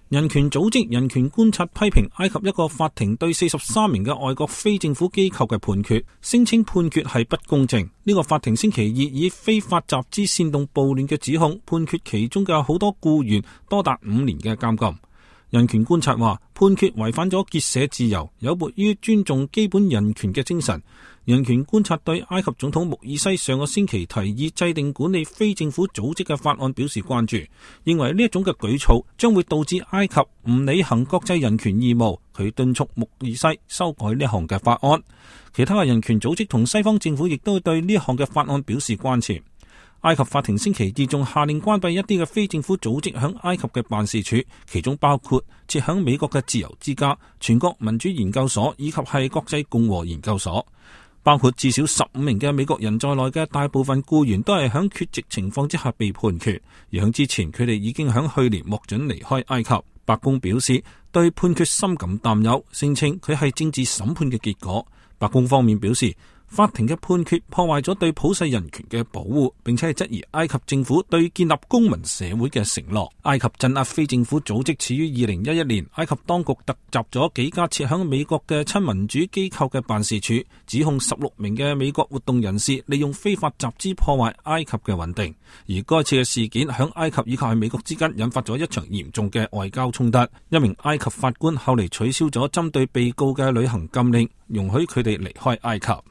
人權組織人權觀察批評埃及一個法庭對43名嘅外國非政府機構嘅判決，聲稱判決係不公正。呢個法庭星期二以非法集資煽動暴亂嘅指控，判決其中嘅好多僱員多達5年嘅監禁。人權觀察話，判決違反咗結社自由，有悖於尊重基本人權嘅精神。人權觀察對埃及總統穆爾西上個星期提議制定管理非政府組織嘅法案表示關注，認為呢一種嘅舉措將會導致埃及唔履行國際人權義務。佢敦促穆爾西修改呢項嘅法案。其他嘅人權組織同西方政府亦都對呢項嘅法案表示關切。埃及法庭星期二仲下令關閉一啲嘅非政府組織響埃及嘅辦事處，其中包括設響美國嘅自由之家、全國民主研究所以及係國際共和研究所。包括至少15名嘅美國人在內嘅大部分僱員都係響缺席情況之下被判決，而響之前佢哋已經響去年獲准離開埃及。白宮表示對判決深感擔憂，聲稱佢係政治審判嘅結果。白宮方面表示，法庭嘅判決破壞咗對普世人權嘅保護，並且係質疑埃及政府對建立公民社會嘅承諾。埃及鎮壓非政府組織始於2011年，埃及當局突襲咗幾家設響美國嘅親民主機構嘅辦事處，指控16名嘅美國活動人士利用非法集資破壞埃及嘅穩定。而該次嘅事件響埃及以及係美國之間引發咗一場嚴重嘅外交衝突。一名埃及法官後嚟取消咗針對被告嘅旅行禁令，容許佢哋離開埃及。